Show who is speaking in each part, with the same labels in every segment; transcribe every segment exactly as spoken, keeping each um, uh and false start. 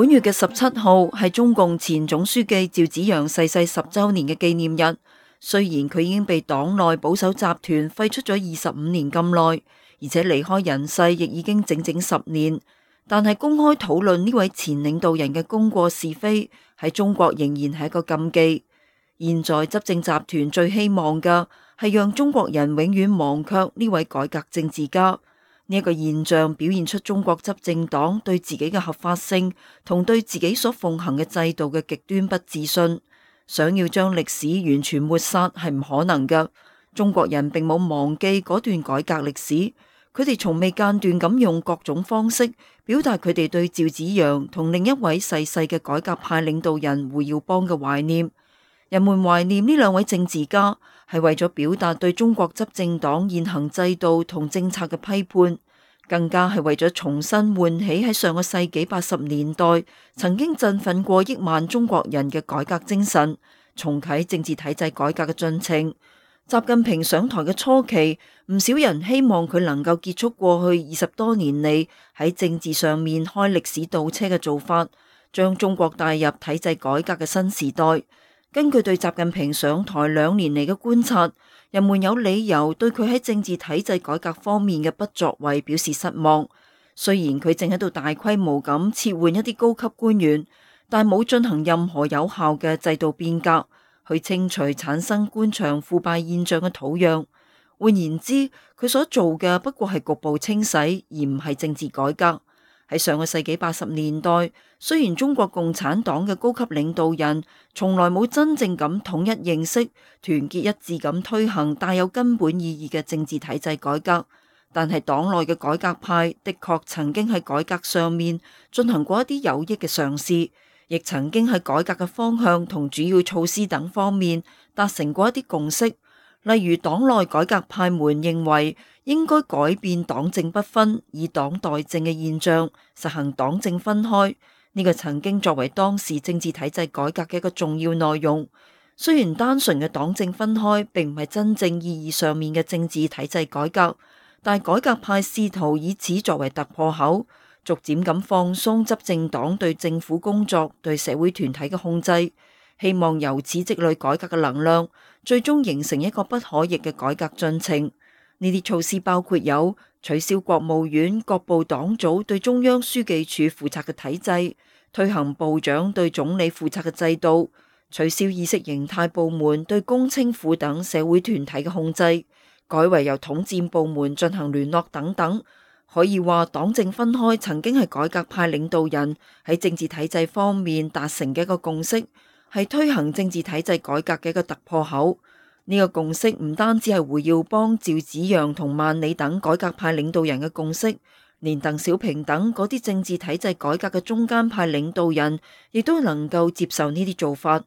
Speaker 1: 本月嘅十七號係中共前總書記趙紫陽逝世十週年嘅紀念日。雖然佢已經被黨內保守集團廢除咗二十五年咁耐，而且離開人世亦已經整整十年，但係公開討論呢位前領導人嘅功過是非喺中國仍然係一個禁忌。現在執政集團最希望嘅係讓中國人永遠忘卻呢位改革政治家。呢一個現象表現出中國執政黨對自己嘅合法性同對自己所奉行嘅制度嘅極端不自信，想要將歷史完全抹殺係唔可能嘅。中國人並冇忘記嗰段改革歷史，佢哋從未間斷咁用各種方式表達佢哋對趙紫陽同另一位逝世嘅改革派領導人胡耀邦嘅懷念。人們懷念呢兩位政治家，係為咗表達對中國執政黨現行制度同政策嘅批判，更加係為咗重新喚起喺上個世紀八十年代曾經振奮過億萬中國人嘅改革精神，重啟政治體制改革嘅進程。習近平上台嘅初期，唔少人希望佢能夠結束過去二十多年嚟喺政治上面開歷史倒車嘅做法，將中國帶入體制改革嘅新時代。根據對習近平上台兩年嚟嘅觀察，人們有理由對佢喺政治體制改革方面嘅不作為表示失望。雖然佢正喺度大規模咁撤換一啲高級官員，但冇進行任何有效嘅制度變革，去清除產生官場腐敗現象嘅土壤。換言之，佢所做嘅不過係局部清洗，而唔係政治改革。喺上個世紀八十年代，雖然中國共產黨嘅高級領導人從來冇真正咁統一認識、團結一致咁推行帶有根本意義嘅政治體制改革，但係黨內嘅改革派的確曾經喺改革上面進行過一啲有益嘅嘗試，亦曾經喺改革嘅方向同主要措施等方面達成過一啲共識。例如，黨內改革派們認為應該改變黨政不分、以黨代政嘅現象，實行黨政分開。呢個曾經作為當時政治體制改革嘅一個重要內容。雖然單純嘅黨政分開並唔係真正意義上面嘅政治體制改革，但改革派試圖以此作為突破口，逐漸咁放鬆執政黨對政府工作、對社會團體嘅控制，希望由此積累改革嘅能量，最終形成一個不可逆嘅改革進程。呢啲措施包括有取消國務院各部黨組對中央書記處負責嘅體制，推行部長對總理負責嘅制度，取消意識形態部門對工青婦等社會團體嘅控制，改為由統戰部門進行聯絡等等。可以話，黨政分開曾經係改革派領導人喺政治體制方面達成嘅一個共識，係推行政治體制改革嘅一個突破口。呢個共識唔單止係胡耀邦、趙紫陽同萬里等改革派領導人嘅共識，連鄧小平等嗰啲政治體制改革嘅中間派領導人亦都能夠接受呢啲做法。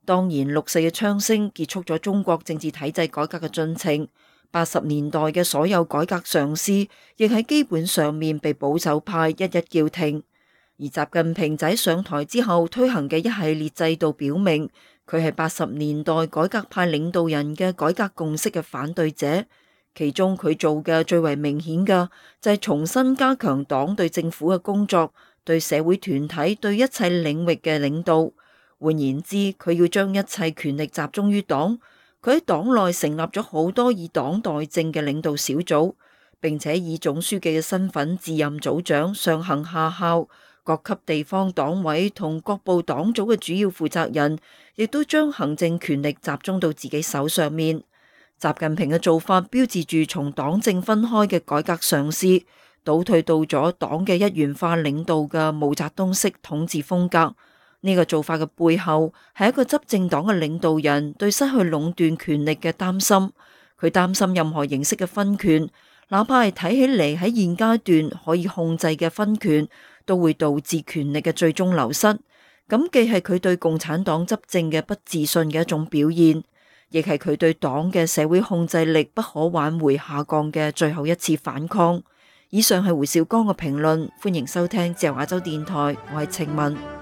Speaker 1: 當然，六四嘅槍聲結束咗中國政治體制改革嘅進程，八十年代嘅所有改革嘗試亦喺基本上面被保守派一一叫停。而習近平喺上台之後推行嘅一系列制度表明，佢係八十年代改革派領導人嘅改革共識嘅反對者。其中佢做嘅最為明顯嘅就係重新加強黨對政府嘅工作，對社會團體、對一切領域嘅領導。換言之，佢要將一切權力集中於黨。佢喺黨內成立咗好多以黨代政嘅領導小組，並且以總書記嘅身份自任組長，上行下效。各級地方黨委同各部黨組嘅主要負責人，亦都將行政權力集中到自己手上面。習近平嘅做法標誌住從黨政分開嘅改革嘗試，倒退到咗黨嘅一元化領導嘅毛澤東式統治風格。呢個做法嘅背後係一個執政黨嘅領導人對失去壟斷權力嘅擔心。佢擔心任何形式嘅分權，哪怕係睇起嚟喺現階段可以控制嘅分權，都會導致權力嘅最終流失。咁既係佢對共產黨執政嘅不自信嘅一種表現，亦係佢對黨嘅社會控制力不可挽回下降嘅最後一次反抗。以上係胡兆剛嘅評論，歡迎收聽自由亞洲電台，我係程文。